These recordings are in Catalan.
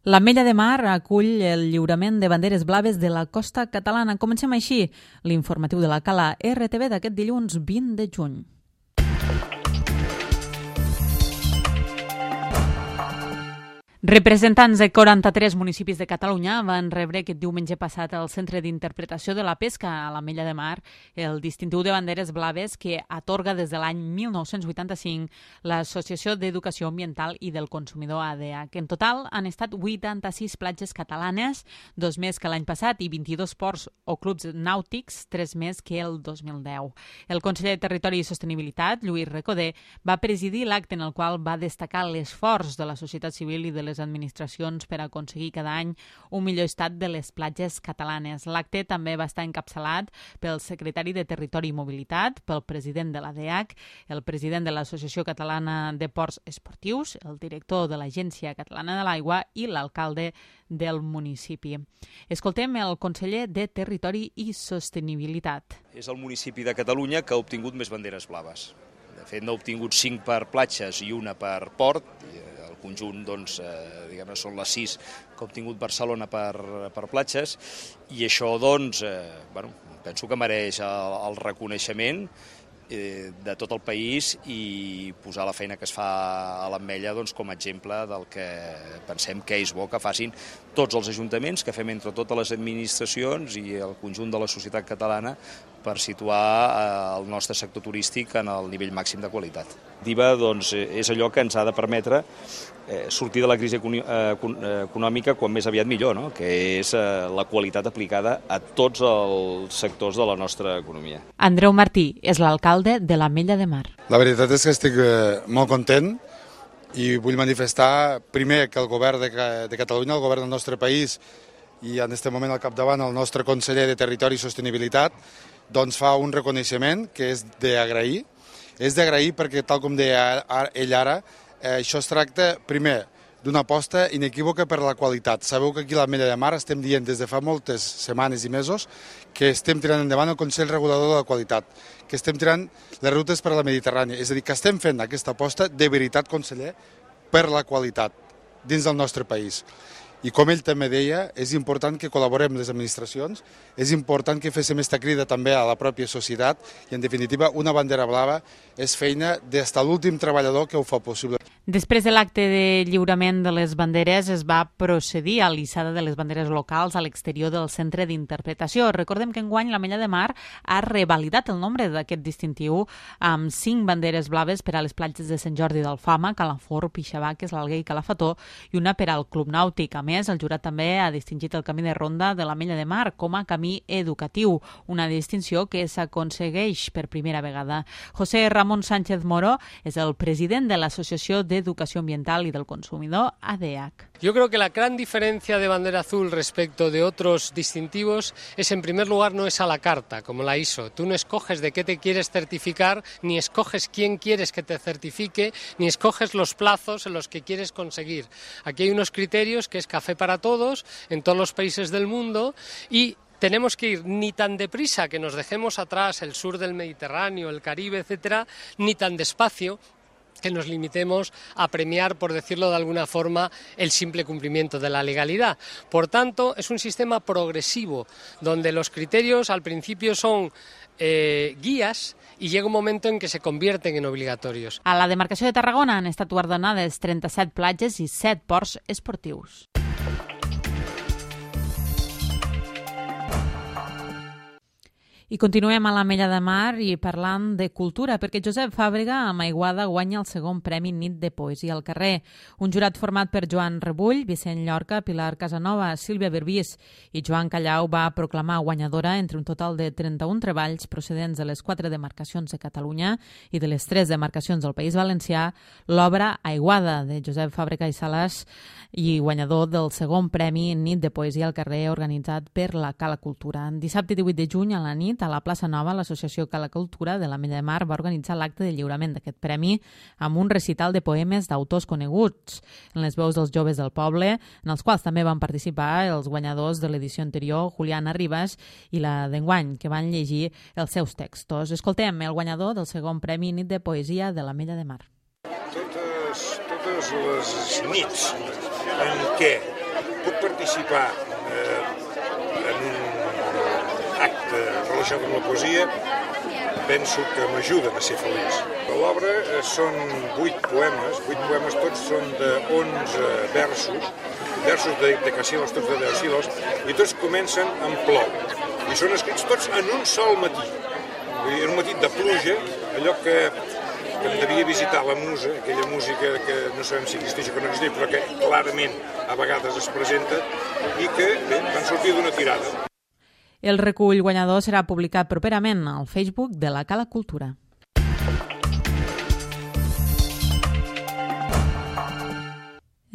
L'Ametlla de Mar acull el lliurament de banderes blaves de la costa catalana. Comencem així l'informatiu de la Cala RTV d'aquest dilluns 20 de juny. Representants de 43 municipis de Catalunya van rebre aquest diumenge passat al Centre d'Interpretació de la Pesca a l'Ametlla de Mar el distintiu de banderes blaves que atorga des de l'any 1985 l'Associació d'Educació Ambiental i del Consumidor ADEA, que en total han estat 86 platges catalanes, 2 més que l'any passat, i 22 ports o clubs nàutics, 3 més que el 2010. El conseller de Territori i Sostenibilitat, Lluís Recoder, va presidir l'acte en el qual va destacar l'esforç de la societat civil i de les administracions per aconseguir cada any un millor estat de les platges catalanes. L'acte també va estar encapçalat pel secretari de Territori i Mobilitat, pel president de l'ADEAC, el president de l'Associació Catalana de Ports Esportius, el director de l'Agència Catalana de l'Aigua i l'alcalde del municipi. Escoltem el conseller de Territori i Sostenibilitat. És el municipi de Catalunya que ha obtingut més banderes blaves. De fet, n'ha obtingut 5 per platges i una per port. El conjunt, diguem-ne, són les 6 que ha obtingut Barcelona per platges, i això, penso que mereix el reconeixement de tot el país i posar la feina que es fa a l'Ametlla com a exemple del que pensem que és bo que facin tots els ajuntaments, que fem entre totes les administracions i el conjunt de la societat catalana per situar el nostre sector turístic en el nivell màxim de qualitat. L'IVA és allò que ens ha de permetre sortir de la crisi econòmica quan més aviat millor, no? Que és la qualitat aplicada a tots els sectors de la nostra economia. Andreu Martí és l'alcalde de l'Ametlla de Mar. La veritat és que estic molt content i vull manifestar primer que el govern de Catalunya, el govern del nostre país, i en aquest moment al capdavant el nostre conseller de Territori i Sostenibilitat, fa un reconeixement que és d'agrair. És d'agrair perquè, tal com deia ell ara, això es tracta, primer, d'una aposta inequívoca per la qualitat. Sabeu que aquí a l'Ametlla de Mar estem dient des de fa moltes setmanes i mesos que estem tirant endavant el Consell Regulador de la Qualitat, que estem tirant les rutes per a la Mediterrània. És a dir, que estem fent aquesta aposta de veritat, conseller, per la qualitat dins del nostre país. I com ell també deia, és important que col·laborem les administracions, és important que féssim aquesta crida també a la pròpia societat i, en definitiva, una bandera blava és feina des de l'últim treballador que ho fa possible. Després de l'acte de lliurament de les banderes es va procedir a l'hissada de les banderes locals a l'exterior del centre d'interpretació. Recordem que enguany l'Ametlla de Mar ha revalidat el nombre d'aquest distintiu amb 5 banderes blaves per a les platges de Sant Jordi d'Alfama, Calafort, Pixabaques, l'Alguer i Calafató i una per al Club Nàutic. A més, el jurat també ha distingit el camí de ronda de l'Ametlla de Mar com a camí educatiu, una distinció que s'aconsegueix per primera vegada. José Ramón Sánchez Moro és el president de l'Associació d'Educació Ambiental y del Consumidor, ADEAC. Yo creo que la gran diferencia de bandera azul respecto de otros distintivos es, en primer lugar, no es a la carta, como la ISO. Tú no escoges de qué te quieres certificar, ni escoges quién quieres que te certifique, ni escoges los plazos en los que quieres conseguir. Aquí hay unos criterios que es café para todos en todos los países del mundo y tenemos que ir ni tan deprisa que nos dejemos atrás el sur del Mediterráneo, el Caribe, etcétera, ni tan despacio que nos limitemos a premiar, por decirlo de alguna forma, el simple cumplimiento de la legalidad. Por tanto, es un sistema progresivo, donde los criterios al principio son guías i llega un moment en què se convierten en obligatorios. A la demarcació de Tarragona han estat guardonades 37 platges i 7 ports esportius. I continuem a l'Ametlla de Mar i parlant de cultura, perquè Josep Fàbrega amb Aiguada guanya el segon Premi Nit de Poesia al carrer. Un jurat format per Joan Rebull, Vicent Llorca, Pilar Casanova, Sílvia Berbís i Joan Callau va proclamar guanyadora entre un total de 31 treballs procedents de les 4 demarcacions de Catalunya i de les 3 demarcacions del País Valencià l'obra Aiguada de Josep Fàbrega i Sales i guanyador del segon Premi Nit de Poesia al carrer organitzat per la Cala Cultura. Dissabte 18 de juny a la nit a la plaça Nova, l'Associació Cala Cultura de l'Ametlla de Mar va organitzar l'acte de lliurament d'aquest premi amb un recital de poemes d'autors coneguts en les veus dels joves del poble, en els quals també van participar els guanyadors de l'edició anterior, Juliana Ribas i la d'enguany, que van llegir els seus textos. Escoltem el guanyador del segon Premi Nit de Poesia de l'Ametlla de Mar. Totes les nits en què puc participar en un acte relacionat amb la poesia, penso que m'ajuden a ser feliç. L'obra són 8 poemes, tots són de 11 versos de decasíl·labs, tots de decasíl·labs, i tots comencen amb plou. I són escrits tots en un sol matí. En un matí de pluja, allò que em devia visitar la musa, aquella música que no sabem si existeix o que no existeix, però que clarament a vegades es presenta, i que van sortir d'una tirada. El recull guanyador serà publicat properament al Facebook de la Cala Cultura.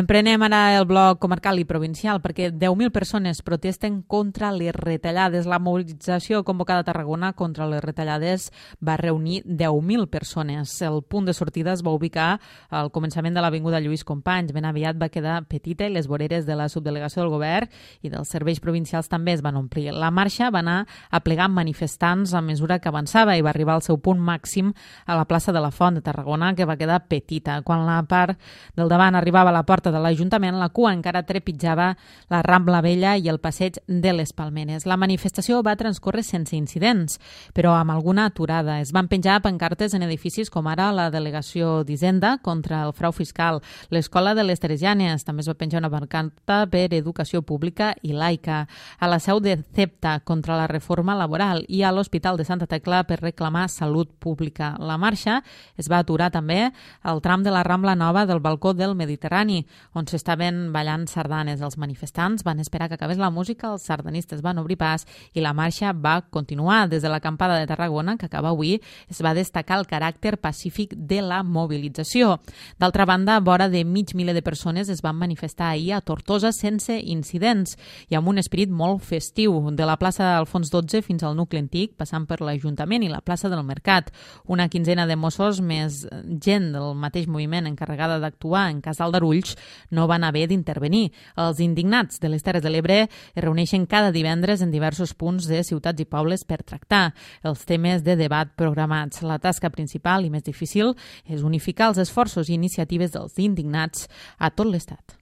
Emprenem ara el bloc comarcal i provincial perquè 10.000 persones protesten contra les retallades. La mobilització convocada a Tarragona contra les retallades va reunir 10.000 persones. El punt de sortida es va ubicar al començament de l'Avinguda Lluís Companys. Ben aviat va quedar petita i les voreres de la subdelegació del govern i dels serveis provincials també es van omplir. La marxa va anar aplegant manifestants a mesura que avançava i va arribar al seu punt màxim a la plaça de la Font de Tarragona, que va quedar petita. Quan la part del davant arribava a la porta de l'Ajuntament, la cua encara trepitjava la Rambla Vella i el passeig de les Palmeres. La manifestació va transcórrer sense incidents, però amb alguna aturada. Es van penjar pancartes en edificis com ara la Delegació d'Hisenda contra el frau fiscal, l'Escola de les Teresianes, també es va penjar una pancarta per educació pública i laica, a la seu de CEPTA contra la reforma laboral i a l'Hospital de Santa Tecla per reclamar salut pública. La marxa es va aturar també al tram de la Rambla Nova del Balcó del Mediterrani, on s'estaven ballant sardanes. Els manifestants van esperar que acabés la música, els sardanistes van obrir pas i la marxa va continuar. Des de l'acampada de Tarragona, que acaba avui, es va destacar el caràcter pacífic de la mobilització. D'altra banda, vora de mig miler de persones es van manifestar ahir a Tortosa sense incidents i amb un esperit molt festiu, de la plaça d'Alfons XII fins al nucli antic, passant per l'Ajuntament i la plaça del Mercat. Una quinzena de Mossos més gent del mateix moviment encarregada d'actuar en cas d'aldarulls no van haver d'intervenir. Els indignats de les Terres de l'Ebre es reuneixen cada divendres en diversos punts de ciutats i pobles per tractar els temes de debat programats. La tasca principal i més difícil és unificar els esforços i iniciatives dels indignats a tot l'Estat.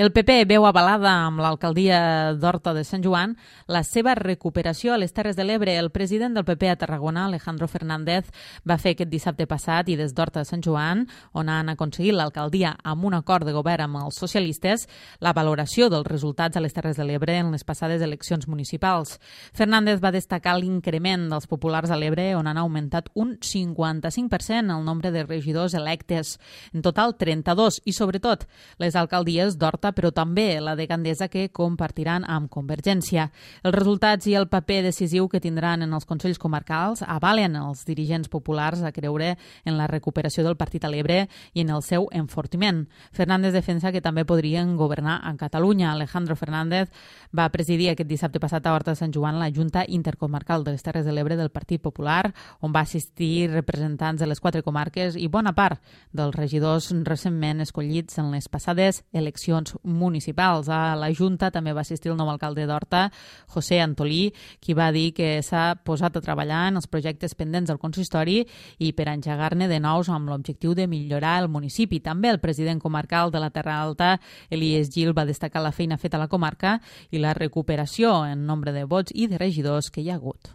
El PP veu avalada amb l'alcaldia d'Horta de Sant Joan la seva recuperació a les Terres de l'Ebre. El president del PP a Tarragona, Alejandro Fernández, va fer aquest dissabte passat i des d'Horta de Sant Joan, on han aconseguit l'alcaldia amb un acord de govern amb els socialistes, la valoració dels resultats a les Terres de l'Ebre en les passades eleccions municipals. Fernández va destacar l'increment dels populars a l'Ebre, on han augmentat un 55% el nombre de regidors electes, en total 32, i sobretot les alcaldies d'Horta, però també la de Gandesa, que compartiran amb Convergència. Els resultats i el paper decisiu que tindran en els consells comarcals avalen els dirigents populars a creure en la recuperació del partit a l'Ebre i en el seu enfortiment. Fernández defensa que també podrien governar a Catalunya. Alejandro Fernández va presidir aquest dissabte passat a Horta de Sant Joan la Junta Intercomarcal de les Terres de l'Ebre del Partit Popular, on va assistir representants de les 4 comarques i bona part dels regidors recentment escollits en les passades eleccions municipals. A la Junta també va assistir el nou alcalde d'Horta, José Antolí, qui va dir que s'ha posat a treballar en els projectes pendents del consistori i per engegar-ne de nous amb l'objectiu de millorar el municipi. També el president comarcal de la Terra Alta, Elies Gil, va destacar la feina feta a la comarca i la recuperació en nombre de vots i de regidors que hi ha hagut.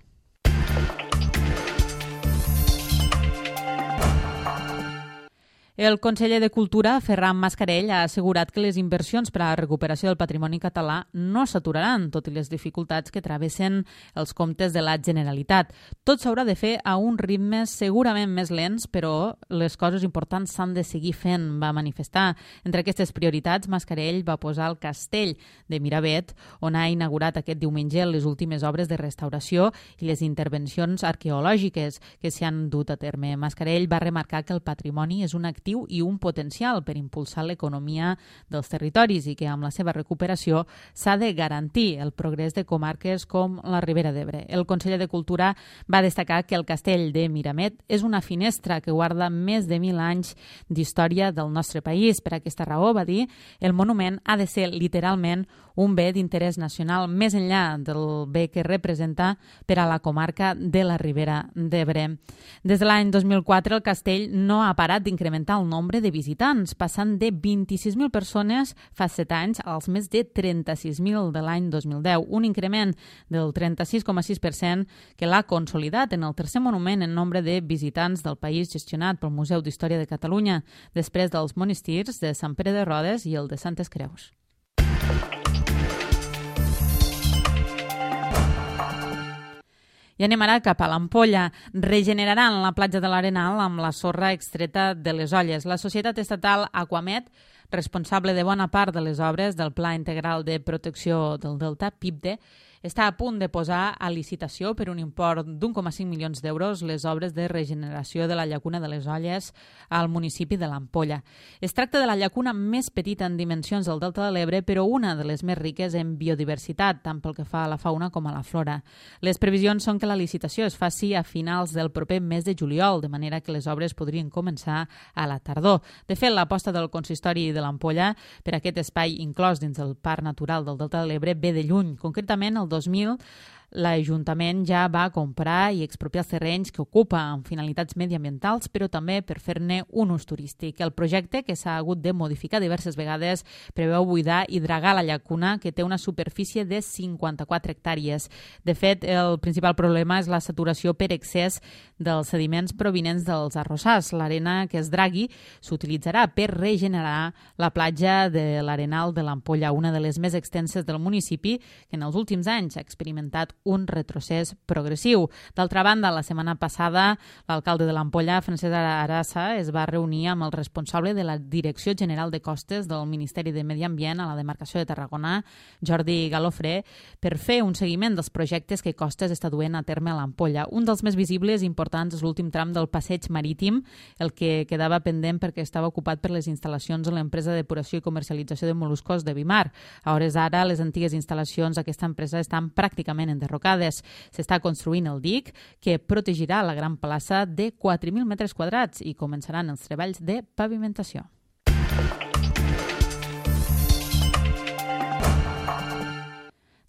El conseller de Cultura, Ferran Mascarell, ha assegurat que les inversions per a la recuperació del patrimoni català no s'aturaran, tot i les dificultats que travessen els comptes de la Generalitat. Tot s'haurà de fer a uns ritmes segurament més lents, però les coses importants s'han de seguir fent, va manifestar. Entre aquestes prioritats, Mascarell va posar el castell de Miravet, on ha inaugurat aquest diumenge les últimes obres de restauració i les intervencions arqueològiques que s'hi han dut a terme. Mascarell va remarcar que el patrimoni és un actiu atractiu i un potencial per impulsar l'economia dels territoris i que amb la seva recuperació s'ha de garantir el progrés de comarques com la Ribera d'Ebre. El conseller de Cultura va destacar que el castell de Miramet és una finestra que guarda més de 1.000 anys d'història del nostre país. Per aquesta raó, va dir, el monument ha de ser literalment un bé d'interès nacional més enllà del bé que representa per a la comarca de la Ribera d'Ebre. Des de l'any 2004 el castell no ha parat d'incrementar el nombre de visitants, passant de 26.000 persones fa 7 anys als més de 36.000 de l'any 2010, un increment del 36,6% que l'ha consolidat en el tercer monument en nombre de visitants del país gestionat pel Museu d'Història de Catalunya, després dels monestirs de Sant Pere de Rodes i el de Santes Creus. I anem ara cap a l'Ampolla. Regeneraran la platja de l'Arenal amb la sorra extreta de les olles. La societat estatal Aquamet, responsable de bona part de les obres del Pla Integral de Protecció del Delta, PIPDE, està a punt de posar a licitació per un import d'1,5 milions d'euros les obres de regeneració de la llacuna de les Olles al municipi de l'Ampolla. Es tracta de la llacuna més petita en dimensions del Delta de l'Ebre, però una de les més riques en biodiversitat, tant pel que fa a la fauna com a la flora. Les previsions són que la licitació es faci a finals del proper mes de juliol, de manera que les obres podrien començar a la tardor. De fet, l'aposta del consistori de l'Ampolla per aquest espai inclòs dins del Parc Natural del Delta de l'Ebre ve de lluny. Concretament, el 2000, l'Ajuntament ja va comprar i expropiar els terrenys que ocupa amb finalitats mediambientals, però també per fer-ne un ús turístic. El projecte, que s'ha hagut de modificar diverses vegades, preveu buidar i dragar la llacuna, que té una superfície de 54 hectàrees. De fet, el principal problema és la saturació per excés dels sediments provinents dels arrossars. L'arena que es dragui s'utilitzarà per regenerar la platja de l'Arenal de l'Ampolla, una de les més extenses del municipi, que en els últims anys ha experimentat un retrocés progressiu. D'altra banda, la setmana passada, l'alcalde de l'Ampolla, Francesc Arassa, es va reunir amb el responsable de la Direcció General de Costes del Ministeri de Medi Ambient a la demarcació de Tarragona, Jordi Galofré, per fer un seguiment dels projectes que Costes està duent a terme a l'Ampolla. Un dels més visibles i importants és l'últim tram del passeig marítim, el que quedava pendent perquè estava ocupat per les instal·lacions de l'empresa de depuració i comercialització de mol·luscos de Bimar. A hores d'ara, les antigues instal·lacions d'aquesta empresa estan pràcticament enderrocades. S'està construint el dic, que protegirà la gran plaça de 4.000 metres quadrats i començaran els treballs de pavimentació.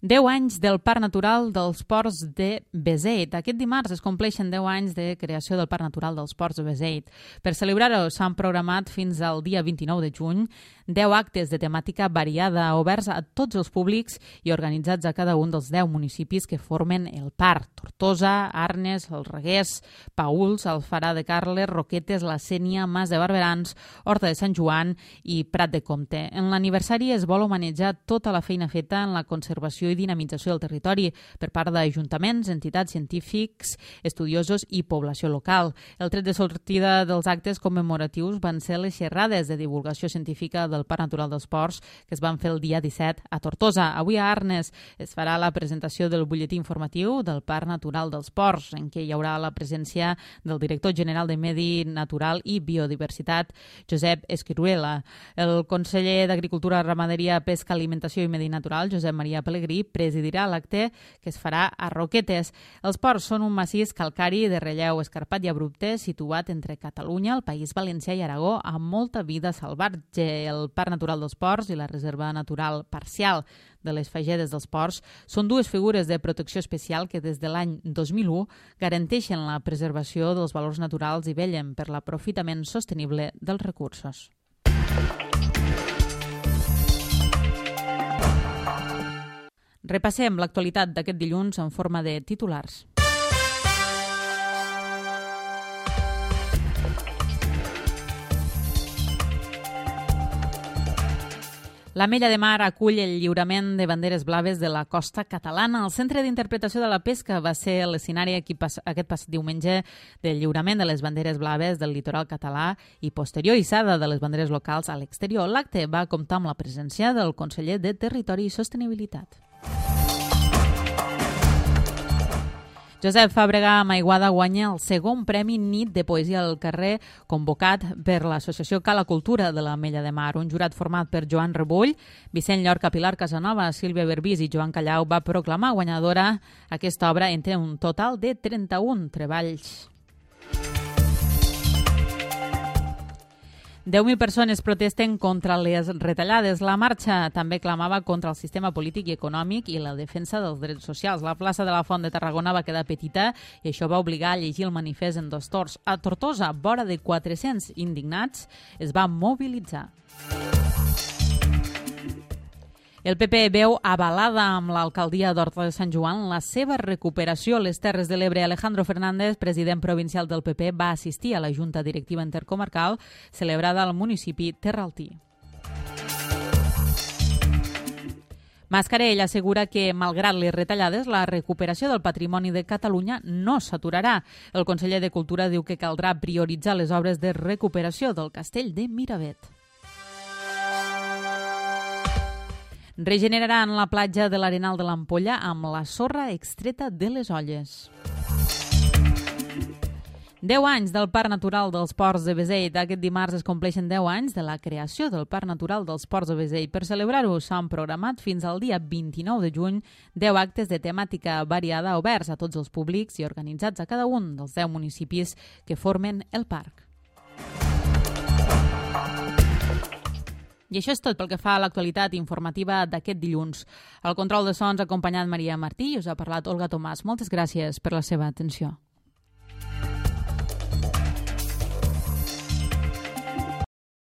Deu anys del Parc Natural dels Ports de Beseit. Aquest dimarts es compleixen 10 anys de creació del Parc Natural dels Ports de Beseit. Per celebrar-ho s'han programat fins al dia 29 de juny 10 actes de temàtica variada, oberts a tots els públics i organitzats a cada un dels 10 municipis que formen el parc. Tortosa, Arnes, el Reguers, Paüls, Alfarà de Carles, Roquetes, la Sénia, Mas de Barberans, Horta de Sant Joan i Prat de Comte. En l'aniversari es vol homenatjar tota la feina feta en la conservació i dinamització del territori per part d'ajuntaments, entitats científics, estudiosos i població local. El tret de sortida dels actes commemoratius van ser les xerrades de divulgació científica del Parc Natural dels Ports que es van fer el dia 17 a Tortosa. Avui a Arnes es farà la presentació del butlletí informatiu del Parc Natural dels Ports, en què hi haurà la presència del director general de Medi Natural i Biodiversitat, Josep Esquiruela. El conseller d'Agricultura, Ramaderia, Pesca, Alimentació i Medi Natural, Josep Maria Pelegrí, presidirà l'acte que es farà a Roquetes. Els ports són un massís calcari de relleu escarpat i abrupte situat entre Catalunya, el País Valencià i Aragó, amb molta vida salvatge. El Parc Natural dels Ports i la Reserva Natural Parcial de les Fagedes dels Ports són dues figures de protecció especial que des de l'any 2001 garanteixen la preservació dels valors naturals i vellen per l'aprofitament sostenible dels recursos. Repassem l'actualitat d'aquest dilluns en forma de titulars. L'Ametlla de Mar acull el lliurament de banderes blaves de la costa catalana. El Centre d'Interpretació de la Pesca va ser l'escenari aquest passat diumenge del lliurament de les banderes blaves del litoral català i posterior hissada de les banderes locals a l'exterior. L'acte va comptar amb la presència del conseller de Territori i Sostenibilitat. Josep Fàbrega Maiguada guanya el segon Premi Nit de Poesia al Carrer, convocat per l'Associació Cala Cultura de l'Ametlla de Mar. Un jurat format per Joan Rebull, Vicent Llorca, Pilar Casanova, Sílvia Berbís i Joan Callau va proclamar guanyadora aquesta obra entre un total de 31 treballs. 10.000 persones protesten contra les retallades. La marxa també clamava contra el sistema polític i econòmic i la defensa dels drets socials. La plaça de la Font de Tarragona va quedar petita i això va obligar a llegir el manifest en 2 torns. A Tortosa, vora de 400 indignats, es va mobilitzar. El PP veu avalada amb l'alcaldia d'Horta de Sant Joan la seva recuperació a les Terres de l'Ebre. Alejandro Fernández, president provincial del PP, va assistir a la Junta Directiva Intercomarcal celebrada al municipi terraltí. Mascarell assegura que, malgrat les retallades, la recuperació del patrimoni de Catalunya no s'aturarà. El conseller de Cultura diu que caldrà prioritzar les obres de recuperació del castell de Miravet. Regeneraran la platja de l'Arenal de l'Ampolla amb la sorra extreta de les olles. 10 anys del Parc Natural dels Ports de Beseit. Aquest dimarts es compleixen 10 anys de la creació del Parc Natural dels Ports de Beseit. Per celebrar-ho s'han programat fins al dia 29 de juny 10 actes de temàtica variada oberts a tots els públics i organitzats a cada un dels 10 municipis que formen el parc. I això és tot pel que fa a l'actualitat informativa d'aquest dilluns. Al control de sons ha acompanyat Maria Martí i us ha parlat Olga Tomàs. Moltes gràcies per la seva atenció.